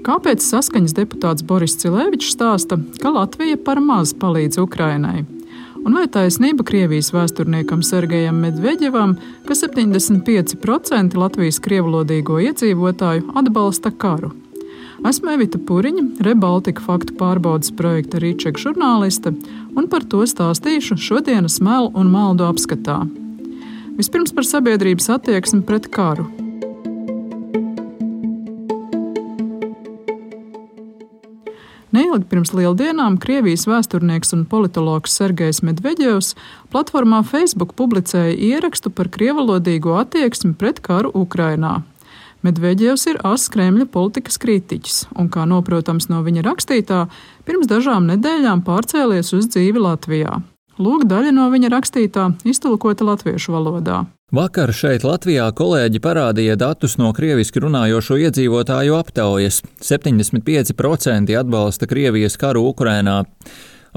Kāpēc Saskaņas deputāts Boris Cilevičs stāsta, ka Latvija par maz palīdz Ukrainai? Un vai taisnība Krievijas vēsturniekam Sergejam Medveģevam, ka 75% Latvijas krievlodīgo iedzīvotāju atbalsta karu? Esmu Evita Puriņa, Rebaltika faktu pārbaudes projekta Rīčeka žurnāliste, un par to stāstīšu šodienas melu un maldu apskatā. Vispirms par sabiedrības attieksmi pret karu. Neilgi pirms lieldienām Krievijas vēsturnieks un politologs Sergejs Medveģevs platformā Facebook publicēja ierakstu par krievalodīgo attieksmi pret karu Ukrainā. Medveģevs ir Kremļa politikas kritiķis un, kā noprotams no viņa rakstītā, pirms dažām nedēļām pārcēlies uz dzīvi Latvijā. Lūk, daļa no viņa rakstītā iztulkota latviešu valodā. Vakar šeit Latvijā kolēģi parādīja datus no krieviski runājošo iedzīvotāju aptaujas. 75% atbalsta Krievijas karu Ukrainā.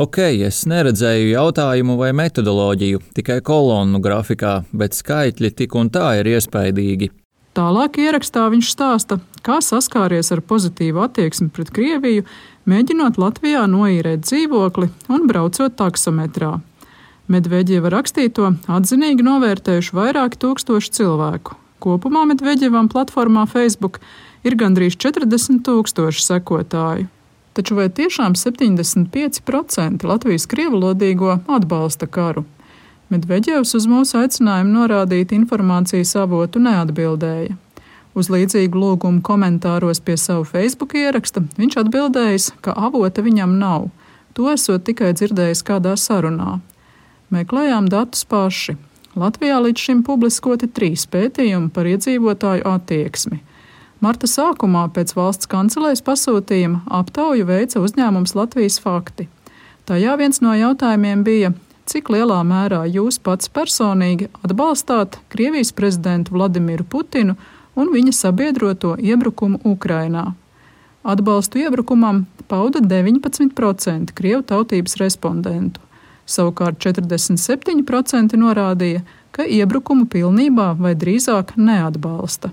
Es neredzēju jautājumu vai metodoloģiju, tikai kolonnu grafikā, bet skaitļi tik un tā ir iespaidīgi. Tālāk ierakstā viņš stāsta, kā saskāries ar pozitīvu attieksmi pret Krieviju, mēģinot Latvijā noīrēt dzīvokli un braucot taksometrā. Medveģeva rakstīto atzinīgi novērtējuši vairāki tūkstoši cilvēku. Kopumā Medveģevam platformā Facebook ir gandrīz 40 000 sekotāju. Taču vai tiešām 75% Latvijas krievlodīgo atbalsta karu? Medveģevs uz mūsu aicinājumu norādīt informācijas avotu neatbildēja. Uz līdzīgu lūgumu komentāros pie savu Facebook ieraksta viņš atbildējis, ka avota viņam nav. To esot tikai dzirdējis kādā sarunā. Meklējām datus paši. Latvijā līdz šim publiskoti 3 pētījumi par iedzīvotāju attieksmi. Marta sākumā pēc valsts kancelējas pasūtījuma aptauju veica uzņēmums Latvijas fakti. Tajā viens no jautājumiem bija, cik lielā mērā jūs pats personīgi atbalstāt Krievijas prezidentu Vladimiru Putinu un viņa sabiedroto iebrukumu Ukrainā. Atbalstu iebrukumam pauda 19% krievu tautības respondentu. Savukārt 47% norādīja, ka iebrukumu pilnībā vai drīzāk neatbalsta.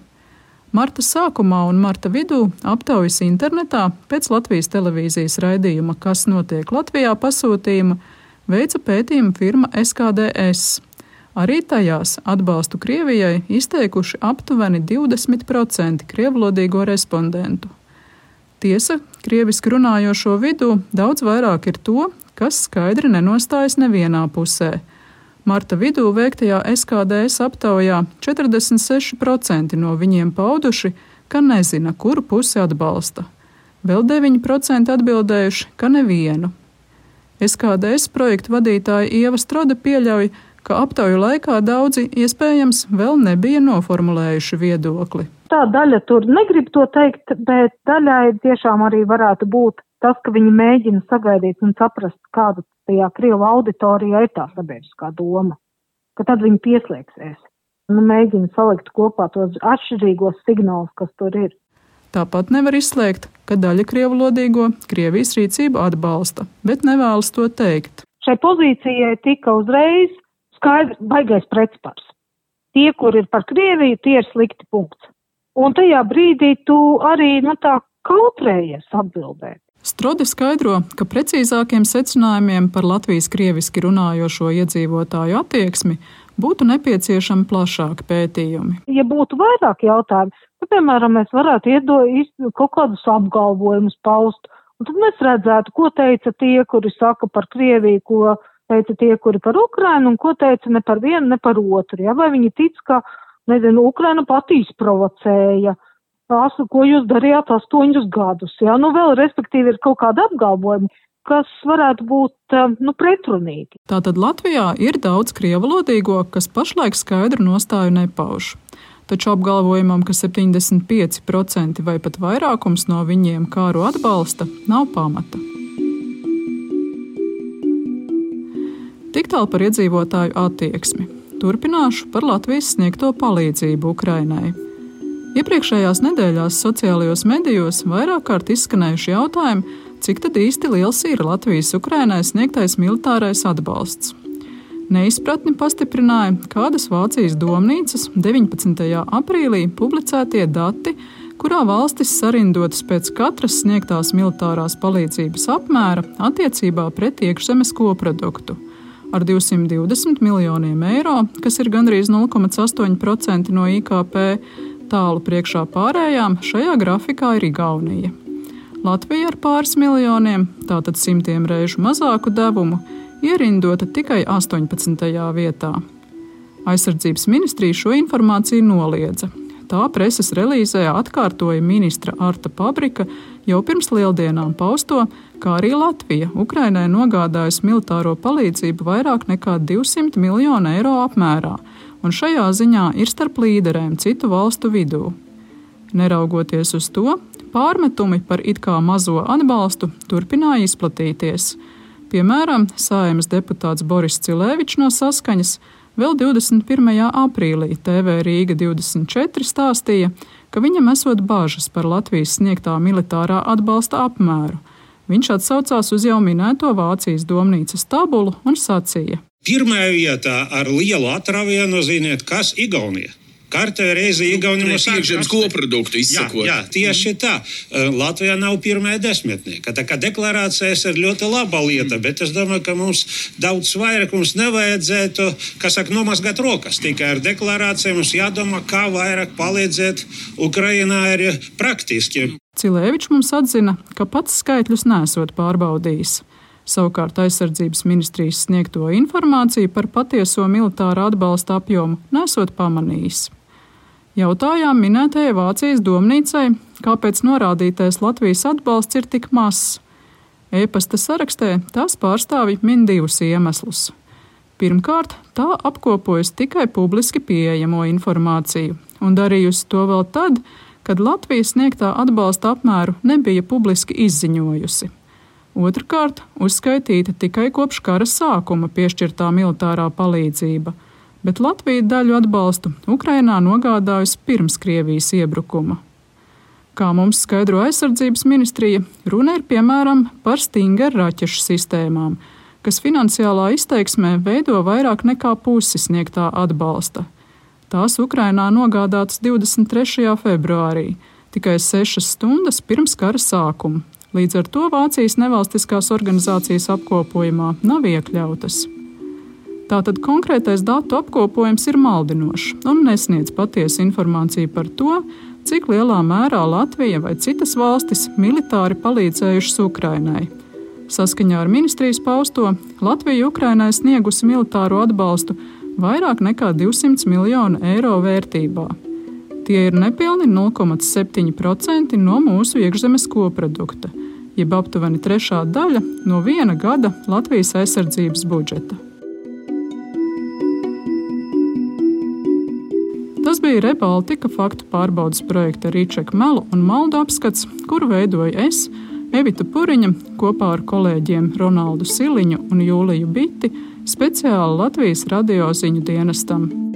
Marta sākumā un marta vidū aptaujas internetā pēc Latvijas televīzijas raidījuma Kas notiek Latvijā pasūtījuma veica pētījuma firma SKDS. Arī tajās atbalstu Krievijai izteikuši aptuveni 20% krievlodīgo respondentu. Tiesa, krieviski runājošo vidū daudz vairāk ir to, kas skaidri nenostājas nevienā pusē. Marta vidū veiktajā SKDS aptaujā 46% no viņiem pauduši, ka nezina, kuru pusi atbalsta. Vēl 9% atbildējuši, ka nevienu. SKDS projektu vadītāja Ieva Strode pieļauj, ka aptauju laikā daudzi iespējams vēl nebija noformulējuši viedokli. Tā daļa tur negrib to teikt, bet daļai tiešām arī varētu būt tas, ka viņi mēģina sagaidīt un saprast, kāda tajā krievu auditorijā ir tā sabiedriskā doma, ka tad viņi pieslēgsies. Mēģina salikt kopā tos atšķirīgos signālus, kas tur ir. Tāpat nevar izslēgt, ka daļa krievlodīgo Krievijas rīcību atbalsta, bet nevēlas to teikt. Šai pozīcijai tika uzreiz skaidrs baigais pretspars. Tie, kur ir par Krieviju, tie ir slikti punkts. Un tajā brīdī tu arī tā kautrējies atbildēt. Strode skaidro, ka precīzākiem secinājumiem par Latvijas krieviski runājošo iedzīvotāju attieksmi būtu nepieciešami plašāki pētījumi. Ja būtu vairāk jautājumu, tad, piemēram, mēs varētu kaut kādus apgalvojumus paust, un tad mēs redzētu, ko teica tie, kuri saka par Krieviju, ko teica tie, kuri par Ukrainu, un ko teica ne par vienu, ne par otru. Ja? Vai viņi tic, ka, Ukraina pati izprovocēja, ko jūs darījāt 8 gadus. Ja? Vēl, respektīvi, ir kaut kāda apgalvojuma, kas varētu būt pretrunīgi. Tātad Latvijā ir daudz krievalodīgo, kas pašlaik skaidru nostāju nepauž. Taču apgalvojumam, ka 75% vai pat vairākums no viņiem kāru atbalsta, nav pamata. Tik tālu par iedzīvotāju attieksmi. Turpināšu par Latvijas sniegto palīdzību Ukrainai. Iepriekšējās nedēļās sociālajos medijos vairāk kārt izskanējuši jautājumi, cik tad īsti liels ir Latvijas Ukrainai sniegtais militārais atbalsts. Neizpratni pastiprināja kādas Vācijas domnīcas 19. aprīlī publicētie dati, kurā valstis sarindotas pēc katras sniegtās militārās palīdzības apmēra attiecībā pret iekšzemes koproduktu. Ar 220 miljoniem eiro, kas ir gandrīz 0,8% no IKP, tālu priekšā pārējām šajā grafikā ir Igaunija. Latvija ar pāris miljoniem, tātad 100 reižu mazāku devumu, ierindota tikai 18. vietā. Aizsardzības ministrija šo informāciju noliedza. Tā preses relīzē atkārtoja ministra Arta Pabrika jau pirms lieldienām pausto, kā arī Latvija Ukrainai nogādājusi militāro palīdzību vairāk nekā 200 miljonu eiro apmērā, un šajā ziņā ir starp līderēm citu valstu vidū. Neraugoties uz to, pārmetumi par it kā mazo atbalstu turpināja izplatīties. Piemēram, Saeimas deputāts Boris Cilēvičs no Saskaņas vēl 21. aprīlī TV Rīga 24 stāstīja, ka viņam esot bažas par Latvijas sniegtā militārā atbalsta apmēru. Viņš atsaucās uz jau minēto Vācijas domnīcas tabulu un sacīja: Pirmajā vietā ar lielu atravienu ziniet, kas Igaunija. Kārtējo reizi Igaunija mums iekšzemes koproduktu izsakot. Jā, tieši tā. Latvijā nav pirmajā desmitnieka. Tā kā deklarācijas ir ļoti laba lieta, bet es domāju, ka mums daudz vairāk mums nevajadzētu, nomazgāt rokas. Tikai ar deklarācijām mums jādomā, kā vairāk palīdzēt Ukrainā arī praktiski. Cilēvičs mums atzina, ka pats skaitļus nesot pārbaudījis. Savukārt aizsardzības ministrijas sniegto informāciju par patieso militāra atbalsta apjomu nesot pamanījis. Jautājām minētajai Vācijas domnīcai, kāpēc norādītais Latvijas atbalsts ir tik mazs. E-pasta sarakstē tās pārstāvji min divus iemeslus. Pirmkārt, tā apkopojas tikai publiski pieejamo informāciju un darījusi to vēl tad, kad Latvija sniegtā atbalsta apmēru nebija publiski izziņojusi. Otrkārt, uzskaitīta tikai kopš kara sākuma piešķirtā militārā palīdzība, bet Latvija daļu atbalstu Ukrainā nogādājusi pirms Krievijas iebrukuma. Kā mums skaidro aizsardzības ministrija, runa ir piemēram par Stinger raķešu sistēmām, kas finansiālā izteiksmē veido vairāk nekā pusi sniegtā atbalsta. Tās Ukrainā nogādātas 23. februārī, tikai 6 stundas pirms kara sākuma. Līdz ar to Vācijas nevalstiskās organizācijas apkopojumā nav iekļautas. Tātad konkrētais datu apkopojums ir maldinošs un nesniedz patiesu informāciju par to, cik lielā mērā Latvija vai citas valstis militāri palīdzējušas Ukrainai. Saskaņā ar ministrijas pausto, Latvija Ukrainai sniegusi militāro atbalstu vairāk nekā 200 miljonu eiro vērtībā. Tie ir nepilni 0,7% no mūsu iekšzemes koprodukta, jeb aptuveni 1/3 daļa no viena gada Latvijas aizsardzības budžeta. Tas bija Rebaltika faktu pārbaudes projekta Rīčeka melu un maldu apskats, kuru veidoja es, Evita Puriņa, kopā ar kolēģiem Ronaldu Siliņu un Jūliju Biti, speciāli Latvijas radio ziņu dienestam.